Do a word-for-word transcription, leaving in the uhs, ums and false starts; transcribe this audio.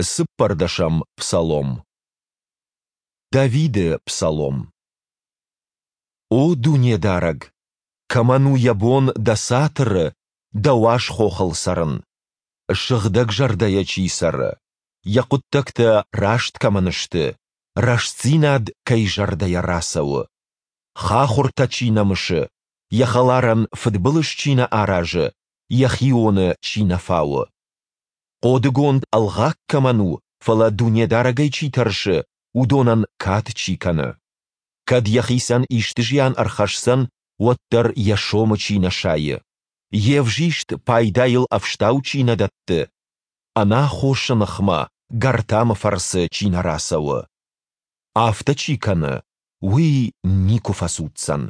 Цыппӕрдӕсӕм псалом. Давиды псалом. О Дунедарӕг, кӕмӕн у йӕ бон Дӕ цатыры, Дӕ уаз хохыл цӕрын? Сыгъдӕгзӕрдӕйӕ чи цӕры, йӕ хъуыддӕгтӕ раст кӕмӕн сты, рӕстдзинад кӕй зӕрдӕйӕ рацӕуы, хахуыртӕ чи нӕ мысы, йӕ хӕларӕн фыдбылыз чи нӕ аразы, йӕ хионы чи нӕ фауы. Хъодыгонд ӕлгъаг кӕмӕн у, фӕлӕ Дунедарӕгӕй чи тӕрсы, уыдонӕн кад чи кӕны. Кӕд йӕхицӕн исты зиан ӕрхӕсдзӕн, уӕддӕр йӕ сомы чи нӕ сайы, йе взист пайдайыл ӕфстау чи нӕ дӕтты, ӕнаххосы ныхмӕ гӕртамы фӕрцы чи нӕ рацӕуы. Афтӕ чи кӕны, уый никуы фӕцуддзӕн.